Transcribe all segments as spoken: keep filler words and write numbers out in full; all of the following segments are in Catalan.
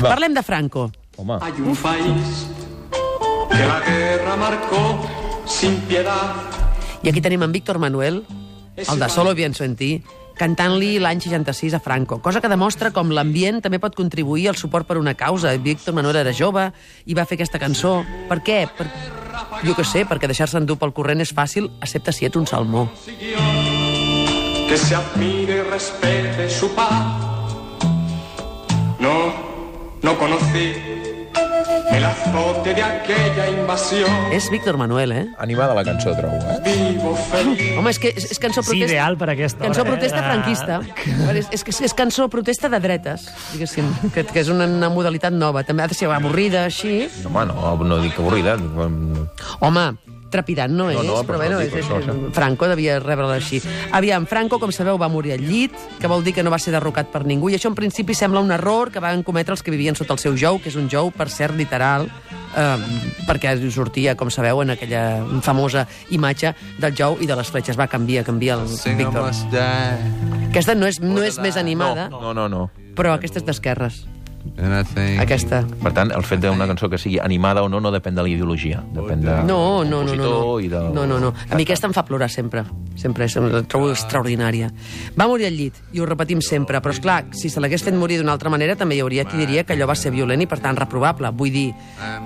Va. Parlem de Franco. Home. Hay un país que la guerra marcó sin piedad. I aquí tenim en Víctor Manuel, el de Solo pienso en ti, cantant-li l'any seixanta-sis a Franco, cosa que demostra com l'ambient també pot contribuir al suport per una causa. Víctor Manuel era jove i va fer aquesta cançó. Per què? Per... Jo què sé, perquè deixar-se endur pel corrent és fàcil, excepte si ets un salmó. Que se admire y respete su paz. No, no conocí el azote de aquella invasión. És Víctor Manuel, eh? Animada la cançó, trobo, eh? Vivo feliz. Home, és que és, és cançó Sí, protesta... ideal per aquesta hora. Cançó eh? protesta De- franquista. És, és, és, és cançó protesta de dretes, diguéssim, que, que és una, una modalitat nova. També ha de ser avorrida, així. Home, no, no dic avorrida. Home, trepidant no és, No, no, però però bueno, no és, dic és, això, això. Franco devia rebre'l així. Aviam, Franco, com sabeu, va morir al llit, que vol dir que no va ser derrocat per ningú, i això en principi sembla un error que van cometre els que vivien sota el seu jou, que és un jou, per cert, literal, eh, perquè sortia, com sabeu, en aquella famosa imatge del jou i de les fletxes. Va, canvia, canvia el Víctor. Aquesta no és, no és més animada, No, no, no. però aquesta és d'esquerres. Aquesta. Per tant, el fet d'una cançó que sigui animada o no no depèn de la ideologia. Depèn de No, no, no, no, compositor no. i del... No, no, no. A mi aquesta em fa plorar sempre. Sempre, la trobo extraordinària. Va morir al llit, i ho repetim sempre, però, esclar, si se l'hagués fet morir d'una altra manera, també hi hauria qui diria que allò va ser violent i, per tant, reprovable. Vull dir,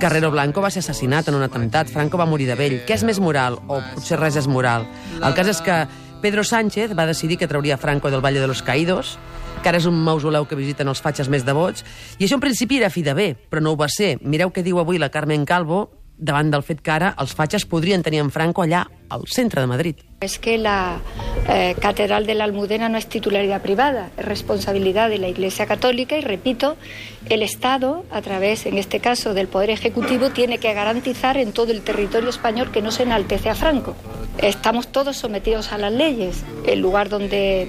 Carrero Blanco va ser assassinat en un atemptat, Franco va morir de vell. Què és més moral? O potser res és moral. El cas és que Pedro Sánchez va decidir que trauria Franco del Valle de los Caídos, que ara és un mausoleu que visiten els fatxes més devots, i això en principi era fi de bé, però no ho va ser. Mireu què diu avui la Carmen Calvo davant del fet que ara els fatxes podrien tenir en Franco allà, al centre de Madrid. Es que la eh, Catedral de la Almudena no es titularidad privada, es responsabilidad de la Iglesia Católica y, repito, el Estado, a través, en este caso, del Poder Ejecutivo, tiene que garantizar en todo el territorio español que no se enaltece a Franco. Estamos todos sometidos a las leyes. El lugar donde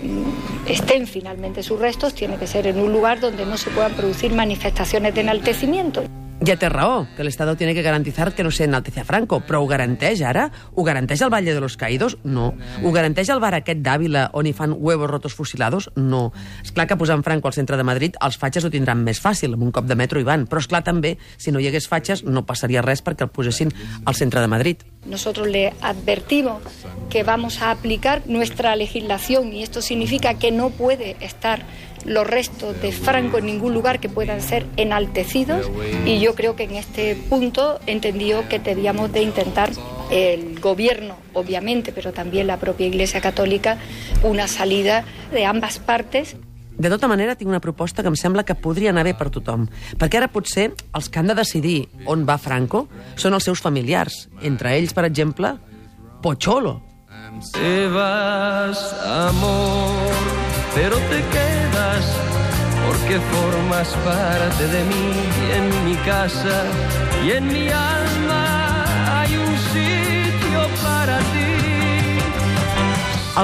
estén finalmente sus restos tiene que ser en un lugar donde no se puedan producir manifestaciones de enaltecimiento. Ja té raó, que l'Estado tiene que garantizar que no se enaltece a Franco, però ho garanteix ara? Ho garanteix el Valle de los Caídos? No. Ho garanteix el bar aquest d'Àvila on hi fan huevos rotos fusilados? No. És clar que posant Franco al centre de Madrid els fatxes ho tindran més fàcil, amb un cop de metro hi van, però és clar també, si no hi hagués fatxes no passaria res perquè el posessin al centre de Madrid. Nosotros le advertimos que vamos a aplicar nuestra legislación y esto significa que no puede estar los restos de Franco en ningún lugar que puedan ser enaltecidos, y yo creo que en este punto entendió que debíamos de intentar el gobierno, obviamente, pero también la propia Iglesia Católica, una salida de ambas partes. De tota manera, tinc una proposta que em sembla que podria anar bé per tothom, perquè ara potser els que han de decidir on va Franco són els seus familiars, entre ells, per exemple, Pocholo. Te vas, amor, pero te quedas porque formas parte de mí y en mi casa y en mi alma hay un sitio para ti.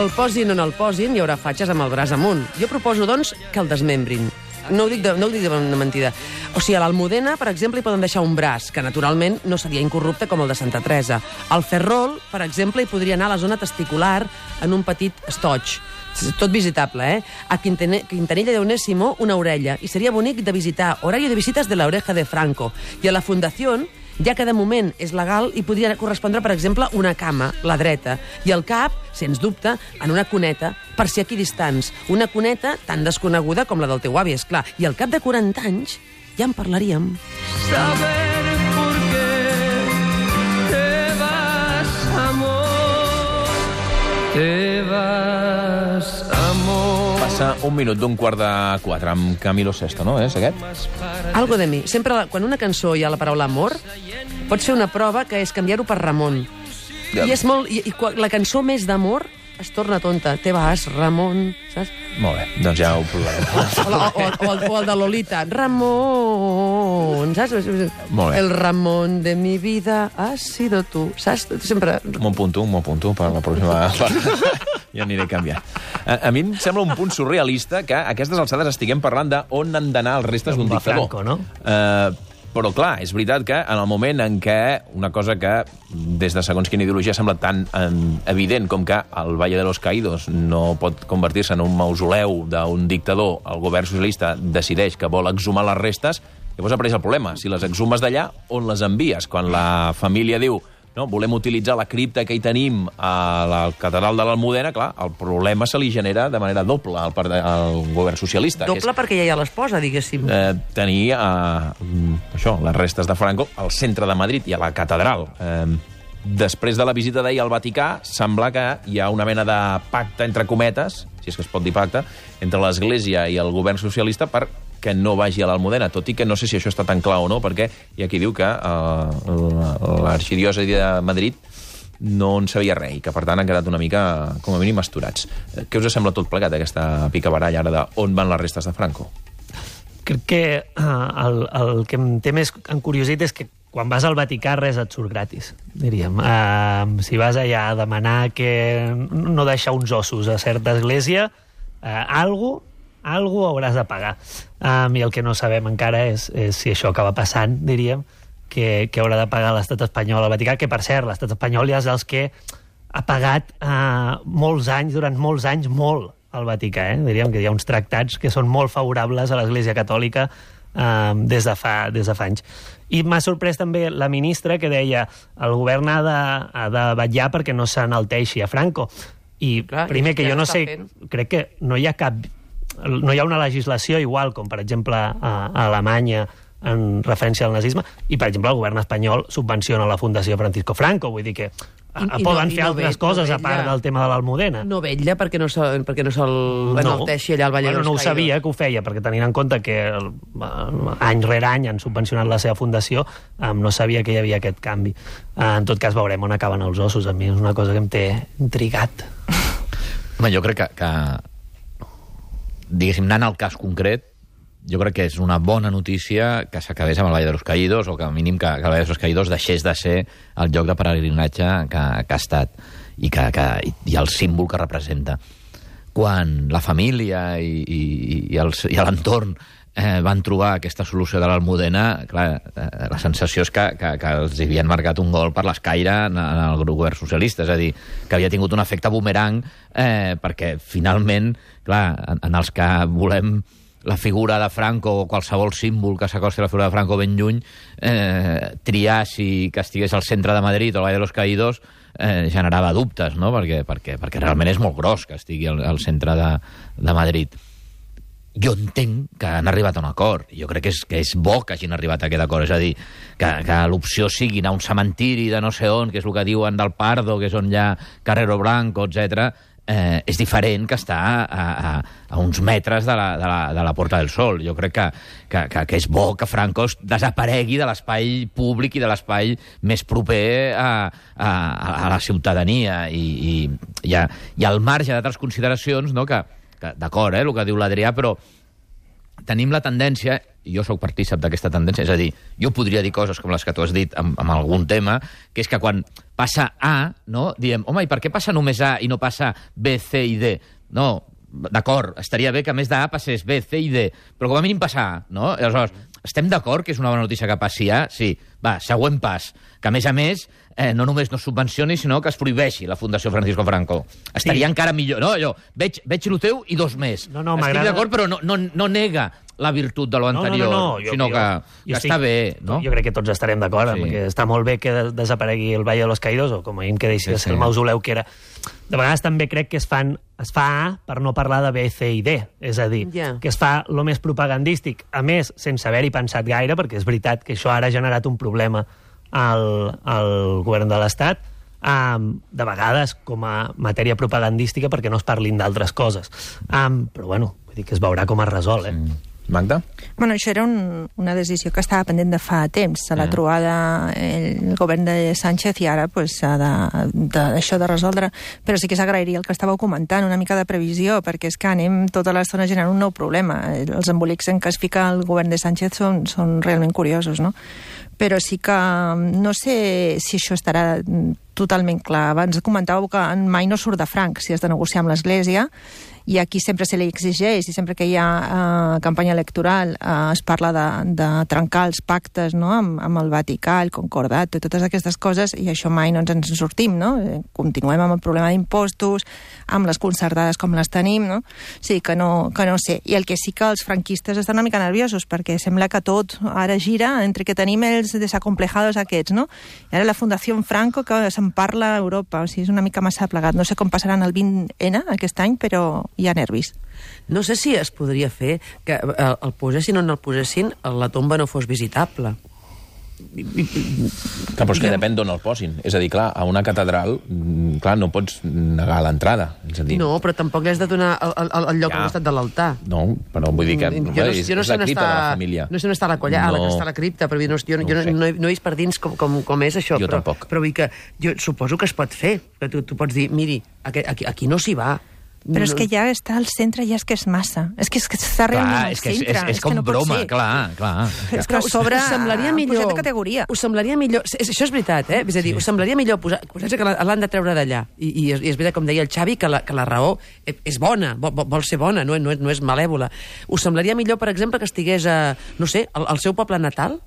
El posin o no el posin, hi haurà fatxes amb el braç amunt. Jo proposo, doncs, que el desmembrin. No ho dic de, no ho dic de una mentida. O sigui, a l'Almudena, per exemple, hi poden deixar un braç, que naturalment no seria incorrupte com el de Santa Teresa. Al Ferrol, per exemple, hi podria anar a la zona testicular en un petit estoig. Tot visitable, eh? A Quintanilla de Onésimo, una orella. I seria bonic de visitar. Horario de visites de la oreja de Franco. I a la Fundació, ja que de moment és legal, hi podria correspondre, per exemple, una cama, la dreta, i el cap, sens dubte, en una cuneta, per si aquí distants. Una cuneta tan desconeguda com la del teu avi, esclar. I al cap de quaranta anys ja en parlaríem. Saber por qué te vas, amor, te vas, amor. Passa un minut d'un quart de quatre amb Camilo Sesto, no? És aquest? Algo de mi. Sempre, quan una cançó hi ha la paraula amor, pots fer una prova que és canviar-ho per Ramon. I és molt... I, i la cançó més d'amor es torna tonta. Te vas, Ramon, saps? Molt bé, doncs ja ho provarem. O, la, o, o, el, o el de Lolita. Ramon, saps? Molt bé. El Ramon de mi vida ha sido tu. Saps? Sempre... M'ho apunto, m'ho apunto per la pròxima part. Ja aniré canviant. A, a mi em sembla un punt surrealista que a aquestes alçades estiguem parlant d'on han d'anar els restes d'un Va dictador. Franco, no? Uh, però, clar, és veritat que en el moment en què una cosa que des de segons quina ideologia sembla tan um, evident com que el Valle de los Caídos no pot convertir-se en un mausoleu d'un dictador, el govern socialista decideix que vol exhumar les restes, Llavors apareix el problema. Si les exhumes d'allà, on les envies? Quan la família diu no, volem utilitzar la cripta que hi tenim a la catedral de l'Almudena, clar, el problema se li genera de manera doble al, al govern socialista. Doble que és, perquè ja hi ha l'esposa, diguéssim. Eh, tenir eh, això, les restes de Franco al centre de Madrid i a la catedral. Eh, després de la visita d'ahir al Vaticà, sembla que hi ha una mena de pacte, entre cometes, si és que es pot dir pacte, entre l'Església i el govern socialista per que no vagi a l'Almudena, tot i que no sé si això està tan clar o no, perquè hi ha qui diu que uh, l'arxidiòcesi de Madrid no en sabia res, i que per tant han quedat una mica, com a mínim, asturats. Què us sembla tot plegat, aquesta picabaralla ara d'on van les restes de Franco? Crec que uh, el, el que em té més encuriosit és que quan vas al Vaticà res et surt gratis, diríem. Uh, si vas allà a demanar que no deixar uns ossos a certa església, uh, algú algú hauràs de pagar. Um, I el que no sabem encara és, és si això acaba passant, diríem, que, que haurà de pagar l'estat espanyol al Vaticà, que, per cert, l'estat espanyol ja és dels que ha pagat uh, molts anys, durant molts anys, molt al Vaticà. Eh? Diríem que hi ha uns tractats que són molt favorables a l'Església Catòlica um, des, de fa, des de fa anys. I m'ha sorprès també la ministra que deia el govern ha de, ha de vetllar perquè no s'enalteixi a Franco. I Clar, primer, i que jo no sé, fent. crec que no hi ha cap... no hi ha una legislació igual com, per exemple, a, a Alemanya en referència al nazisme, i, per exemple, el govern espanyol subvenciona la Fundació Francisco Franco, vull dir que a, I, i poden no, fer no altres ve, coses no a part del tema de l'Almudena. No vetlla perquè no se'l perquè no se enalteixi allà al Valle bueno, de los no ho Caídos. sabia que ho feia, perquè tenint en compte que el, any rere any han subvencionat la seva fundació, um, no sabia que hi havia aquest canvi. Uh, en tot cas, veurem on acaben els ossos. A mi és una cosa que em té intrigat. Home, jo crec que, que diguéssim, anant al cas concret, jo crec que és una bona notícia que s'acabés amb el Valle de los Caídos, o que, al mínim, que, que el Valle de los Caídos deixés de ser el lloc de peregrinatge que, que ha estat i, que, que, i el símbol que representa. Quan la família i, i, i, el, i l'entorn eh, van trobar aquesta solució de l'Almudena, clar, eh, la sensació és que, que, que els havien marcat un gol per l'escaire en, en el govern socialista, és a dir, que havia tingut un efecte boomerang, eh, perquè finalment, clar, en, en els que volem la figura de Franco o qualsevol símbol que s'acosti a la figura de Franco ben lluny, eh, triar si que estigués al centre de Madrid o al Valle de los Caídos eh, generava dubtes, no? Perquè, perquè, perquè realment és molt gros que estigui al, al centre de, de Madrid. Jo entenc que han arribat a un acord. Jo crec que és, que és bo que hagin arribat a aquest acord. És a dir, que, que l'opció sigui anar a un cementiri de no sé on, que és el que diuen del Pardo, que és on hi ha Carrero Blanco, etcètera, eh, és diferent que estar a, a, a uns metres de la, de, la, de la Porta del Sol. Jo crec que, que, que, que és bo que Franco desaparegui de l'espai públic i de l'espai més proper a, a, a la ciutadania. I, i, i, a, i al marge d'altres consideracions, no, que d'acord, eh, el que diu l'Adrià, però tenim la tendència, i jo sóc partícip d'aquesta tendència, és a dir, jo podria dir coses com les que tu has dit amb, amb algun tema, que és que quan passa A, no, diem, home, i per què passa només A i no passa B, C i D? No, d'acord, estaria bé que a més d'A passés B, C i D, però com a mínim passa A, no? I aleshores, estem d'acord que és una bona notícia que passi A? Sí. Va, següent pas, que a més a més eh, no només no subvencioni, sinó que es prohibeixi la Fundació Francisco Franco. Estaria sí. encara millor. No, allò, veig, veig el teu i dos més. No, no, estic d'acord, però no, no, no nega la virtut de lo anterior, no, no, no, no. Jo, sinó que, jo, que jo està estic, bé, no? Jo crec que tots estarem d'acord, sí. Perquè està molt bé que desaparegui el Valle de los Caídos, o com a mínim que deixi sí, sí. el mausoleu que era. De vegades també crec que es fan es fa A per no parlar de B, C i D, és a dir, yeah. que es fa lo més propagandístic, a més, sense haver-hi pensat gaire, perquè és veritat que això ara ha generat un problema al, al govern de l'Estat, um, de vegades com a matèria propagandística perquè no es parlin d'altres coses. Um, però bueno, vull dir que es veurà com es resol, eh? Mm. Magda? Bueno, això era un, una decisió que estava pendent de fa temps. Se l'ha mm. trobada el govern de Sánchez i ara pues, s'ha de, de, això de resoldre. Però sí que s'agrairia el que estàveu comentant, una mica de previsió, perquè és que anem tota l'estona generant un nou problema. Els embolics en què es fica el govern de Sánchez són, són realment curiosos, no? Però sí que no sé si això estarà totalment clar. Abans comentàveu que mai no surt de franc si has de negociar amb l'Església, i aquí sempre se li exigeix, i sempre que hi ha eh, campanya electoral eh, es parla de, de trencar els pactes, no?, amb, amb el Vaticà, el Concordat, i totes aquestes coses, i això mai no ens en sortim, no? Continuem amb el problema d'impostos, amb les concertades com les tenim, no? Sí, que no, que no sé. I el que sí que els franquistes estan una mica nerviosos, perquè sembla que tot ara gira entre que tenim els desacomplejados aquests, no? I ara la Fundació Franco, que se'n parla a Europa, o sigui, és una mica massa plegat. No sé com passaran el vint ene aquest any, però hi ha nervis. No sé si es podria fer que el, el posessin o no el posessin, la tomba no fos visitable. Clar, però és que depèn d'on el posin. És a dir, clar, a una catedral, clar, no pots negar l'entrada. És a dir... No, però tampoc li has de donar el, el, el lloc Ja. al costat de l'altar. No, però vull dir que Jo no, és, jo no és sé la on cripta està, de la família. no sé on està la colla, no. No. la que està la cripta, però jo, no, jo, No jo ho no, sé. no, he, no he vist per dins com, com, com és això. Jo però, tampoc. Però vull que, jo suposo que es pot fer. Que tu, tu pots dir, miri, aquí, aquí, aquí no s'hi va. Però és que ja està al centre, ja és que és massa. És que, és que està realment Clar, al és que és, centre. és, és com que no pot broma, ser. clar, clar. És que a sobre us semblaria millor, pujat de categoria. Us semblaria millor... És, això és veritat, eh? És a dir, sí. us semblaria millor posar, posar-se que la- l'han de treure d'allà. I, i, és, I és veritat, com deia el Xavi, que la, que la raó és bona, vol, vol ser bona, no, no, és, no és malèvola. Us semblaria millor, per exemple, que estigués a, no sé, al, al seu poble natal?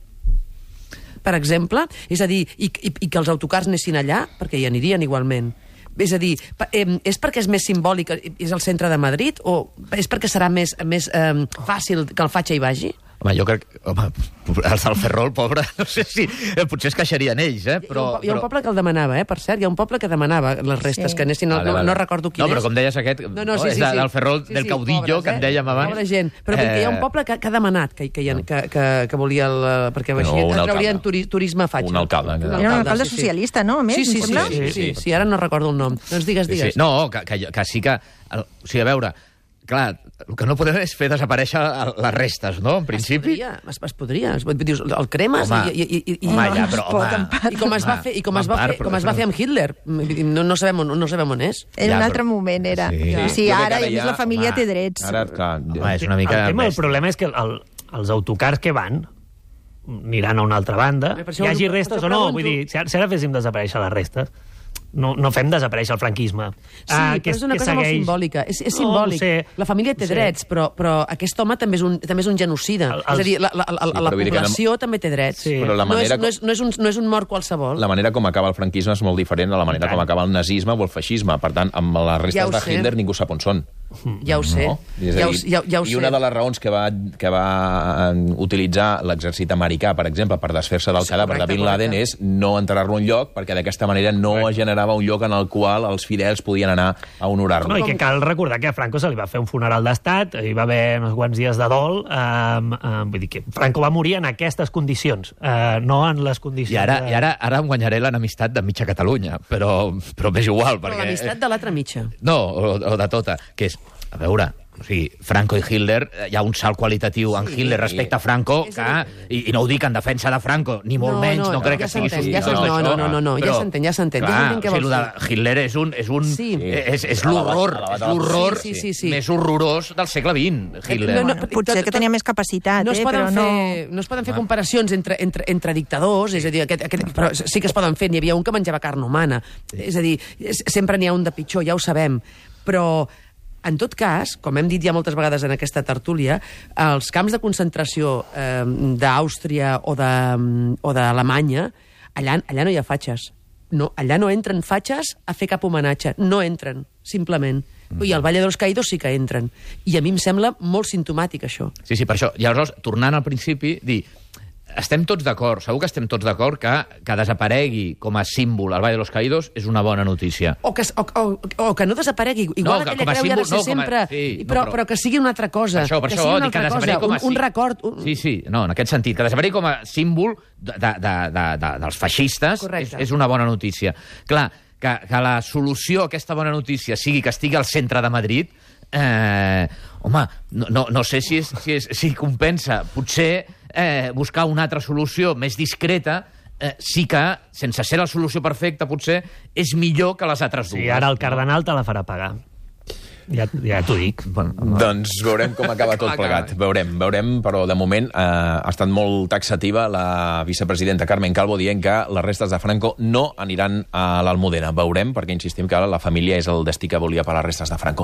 Per exemple? És a dir, i, i, i que els autocars anessin allà, perquè hi anirien igualment. És a dir, pa- eh, és perquè és més simbòlic, és el centre de Madrid, o és perquè serà més, més eh, fàcil que el Fatxa hi vagi? Home, jo crec... Home, els del Ferrol, pobre, no sé si... eh, Potser es queixarien ells, eh? Però, hi, ha un, po- hi ha un poble que el demanava, eh, per cert, hi ha un poble que demanava les restes, Sí. que anessin... No, Vale, vale. no, no recordo quin No, però és. com deies aquest, No, no, sí, és sí, de- sí. del Ferrol, Sí, del sí, caudillo, pobres, que en dèiem abans. Pobra gent. Però vull dir que hi ha un Eh, poble que, que ha demanat, que, que, hi ha, que, que, que volia el... Perquè No, així un alcalde. traurien turi, turisme a Fatxa. Un alcalde. Era un alcalde sí, sí. socialista, no? A més, Sí, sí, em sí, sembla? sí, sí, sí, Sí, sí, ara no recordo el nom. Doncs digues, Sí, digues. sí. No, que, que, que sí que... El, o sigui, a veure, clar, el que no podem és fer desaparèixer el- les restes, no? En principi... Es podria, es, es podria. Es, dius, el cremes Home, i, i, i, i, home, ja, però, es pot, home... en part. i com es va fer, i com es va en part, fer, però com es va això- fer amb Hitler. No, no, sabem, on- no sabem on és. Era Ja, un però- altre moment, era. Sí. Sí, sí Jo crec que ara, ara i a més ja- la família home, té drets. Ara, clar... Home, és una mica... El tema, el bèstia. problema és que el, els autocars que van aniran a una altra banda, Per això hi hagi ho- restes per o això no. pregunto. Vull dir, si ara, si ara féssim desaparèixer les restes, no, no fem desaparèixer el franquisme. Sí, ah, però és una cosa molt simbòlica. És, és No, simbòlic. ho sé. La família té Ho sé. drets, però, però aquest home també és un, també és un genocida. El- És a dir, la, la, la, Sí, la però vull dir que població també té drets. Sí. Però la manera no, és, no, és, no, és un, no és un mort qualsevol. La manera com acaba el franquisme és molt diferent a la manera com acaba el nazisme o el feixisme. Per tant, amb les restes Ja ho de sé. Hitler ningú sap on són. Ja ho sé. No? És a Ja ho, dir, ja, ja ho I sé. una de les raons que va, que va eh, utilitzar l'exèrcit americà, per exemple, per desfer-se del Sí, cadàver de correcte, Bin Laden correcte. és no enterrar-lo en lloc, perquè d'aquesta manera no es generava un lloc en el qual els fidels podien anar a honorar-lo. No, i que cal recordar que a Franco se li va fer un funeral d'estat, hi va haver uns quants dies de dol, um, um, vull dir que Franco va morir en aquestes condicions, uh, no en les condicions... I ara, de... i ara, ara em guanyaré l'enemistat de mitja Catalunya, però, però m'és igual, Però perquè... l'amistat de l'altra mitja. No, o, o de tota, que és... A veure, o sigui, Franco i Hitler, hi ha un salt qualitatiu en Hitler respecte a Franco, És que, a dir- i, i no ho dic en defensa de Franco, ni molt No, menys, no, no, crec ja que sigui s'entén, ja sospitós s'entén. d'això. No, no, no, no, ja Però, s'entén, ja s'entén, ja clar, s'entén què o sigui, vols lo de Hitler és un... És, un, Sí. és, és l'horror, Elevat, és elevat. l'horror Sí, sí, sí, sí. més horrorós del segle vint, Hitler. No, no, Bueno, potser que tenia més capacitat, no es eh, poden però no... fer, no es poden fer comparacions entre, entre, entre dictadors, és a dir, aquest, aquest, però sí que es poden fer. N'hi havia un que menjava carn humana. És a dir, és- sempre n'hi ha un de pitjor, ja ho sabem. Però, en tot cas, com hem dit ja moltes vegades en aquesta tertúlia, els camps de concentració eh, d'Àustria o de- o d'Alemanya, allà, allà no hi ha fatxes. No, allà no entren fatxes a fer cap homenatge. No entren, simplement. I al Valle de los Caídos sí que entren. I a mi em sembla molt simptomàtic, això. Sí, sí, per això. I aleshores, tornant al principi, dir, estem tots d'acord, segur que estem tots d'acord que, que desaparegui com a símbol el Valle de los Caídos és una bona notícia. O que, o, o, o que no desaparegui. Igual No, no, que aquella com a creu hi ha de símbol- ser no, com a- sempre... sí, no, però, però- però que sigui una altra cosa. Per això, per que això, sigui una dic que altra desaparegui cosa. com a... Un, un record... Un... Sí, sí, no, en aquest sentit, que desaparegui com a símbol de, de, de, de, de, dels feixistes és, Correcte. és una bona notícia. Clar, que, que la solució a aquesta bona notícia sigui que estigui al centre de Madrid, eh, home, no, no, no sé si, és, si, és, si compensa. Potser eh, buscar una altra solució més discreta eh, sí que, sense ser la solució perfecta, potser és millor que les altres dues. Sí, ara el cardenal te la farà pagar. Ja, ja t'ho dic. Bueno, Doncs veurem com acaba tot plegat. Veurem, veurem, però de moment eh, ha estat molt taxativa la vicepresidenta Carmen Calvo dient que les restes de Franco no aniran a l'Almudena. Veurem, perquè insistim que la família és el destí que volia per les restes de Franco.